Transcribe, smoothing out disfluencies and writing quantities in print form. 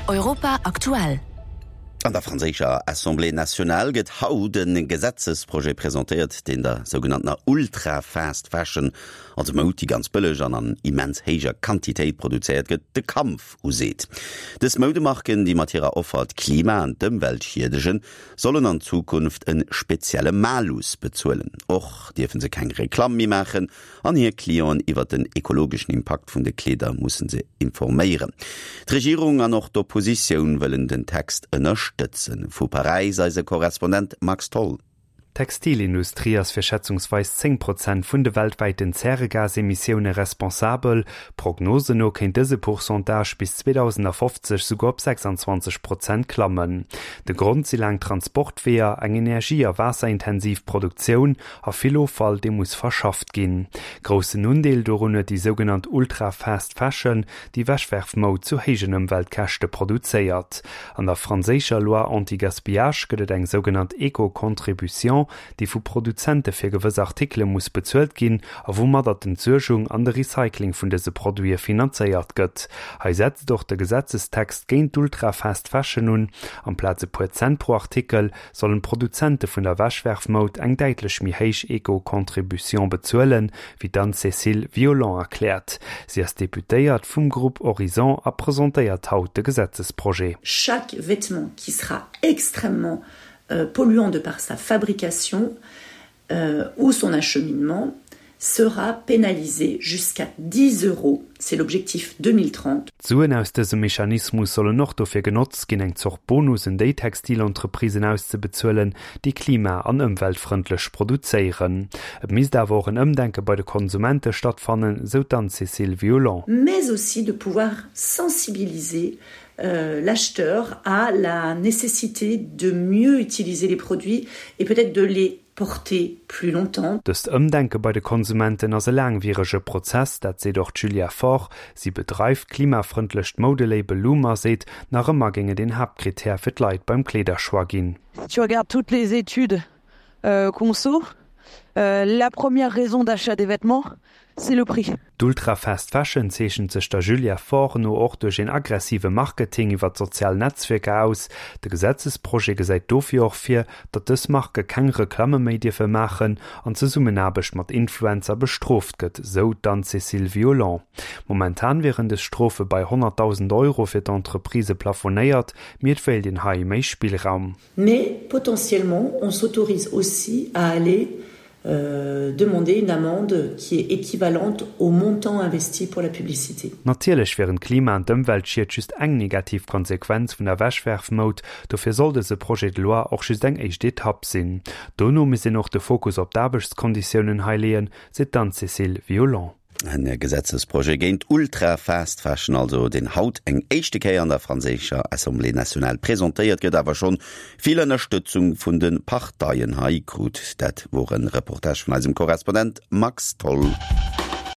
Europa aktuell. An der franséischer Assemblée nationale gëtt haut e Gesetzesprojet presentéiert, deen der sougenanntener Ultra-Fast Fashion, also Moud, déi ganz bëlleg an an immens héijer Quantitéit produzéiert gëtt, de Kampf useet. Dës Moudemarken, déi mat hirer Offer d'Klima an d'Ëmwelt schiedegen, sollen an Zukunft e spezielle Malus bezuelen. Och dierfe se keng Reklamm méi maachen an hir Clienten iwwer den ekologeschen Impakt vun de Kleeder musse se informéieren. D'Regierung an och d'Oppositioun wëllen den Text ënnerstëtzen. Vu Paräis eise Korrespondent Max Tholl. D'Textilindustrie ass fir schätzungsweis 10 Prozent vun de weltwäiten Zäregasemissioune responsabel. Prognosen no kéint dëse Pourcentage bis 2050 souguer op 26 Prozent klammen. De Grond si laang Transportweeër, eng energie a waasserintensiv Produktioun a vill Offall, dee muss verschafft ginn. Groussen Undeel dorun huet déi sougenannt Ultra-Fast Fashion, déi Wegwerfmoud zu héijen Ëmweltkäschte produzéiert. An der franséischer Loi anti-gaspillage gëtt et eng sougenannt Eco-Contribution, déi vu Produzente fir gewëss Artikele muss bezuelt ginn a woumadder d'Entsuergung an de Recycling vun dëse Produite finanzéiert gëtt. Hei setzt och de Gesetzestext géint d'Ultra-Fast Fashion un. Amplaz e puer Cent pro Artikel, sollen d'Produzente vun der Wegwerfmoud eng däitlech méi héich Eco-Contribution bezuelen, wéi d'Anne-Cécile Violent erkläert. Si ass Deputéiert vum Grupp Horizon a presentéiert haut de Gesetzesprojet. Chaque vêtement qui sera extrêmement polluant de par sa fabrication ou son acheminement sera pénalisé jusqu'à 10 euros, c'est l'objectif 2030. D'Suen aus dësem Mechanismus sollen och dofir genotzt ginn, eng Zort Bonus un déi Textilentreprisen auszebezuelen, déi klima an ëmweltfrëndlech produzéieren. Et misst awer och en Ëmdenke bei de Konsumente stattfannen, sou d'Anne-Cécile Violent. Mais aussi de pouvoir sensibiliser l'acheteur à la nécessité de mieux utiliser les produits et peut-être de les porter plus longtemps. Dëst Ëmdenke bei de Konsumenten ass e laangwierege Prozess, dat seet och d'Julia Faure. Si bedreift d'klimafrëndlecht Moudelabel Loom a seet, nach ëmmer géing et een Haaptkrittär fir d'Leit beim Kleederchoix ginn. Si tu regardes toutes les études conso, la première raison d'achat des vêtements, c'est le prix. D'Ultra-Fast Fashion zeechent sech der Julia Faure no och duerch een aggressive Marketing iwwer d'sozial Netzwierker aus. De Gesetzesprojet gesäit dofir och vir, datt dës Marke keng Reklamme méi dierfe maachen an d'Zesummenaarbecht mat Influencer bestrooft gëtt, sou d'Anne-Cécile Violent. Momentan wieren dës Strofe bei 100.000 Euro fir d'Entreprisë plafonéiert, mee et wéilt een hei méi Spillraum. Mais potentiellement, on s'autorise aussi à aller demander une amende qui est équivalente au montant investi pour la publicité. Natierlech wieren d'Klima an d'Ëmweltschied just eng negativ Konsequenz vun der Wegwerfmoud, dofir soll dëse Projet de loi och just eng éischt Etapp sinn. Dono misst een och de Fokus op d'Aarbechtskonditiounen hei leeën, seet d'Anne-Cécile Violent. En Gesetzesprojet géint Ultra-Fast Fashion also, deen haut eng éischte Kéier an der franséischer Assemblée nationale presentéiert gëtt, awer schonn vill Ënnerstëtzung vun de Parteien hei krut. Dat wor e Reportage vun eisem Korrespondent Max Tholl.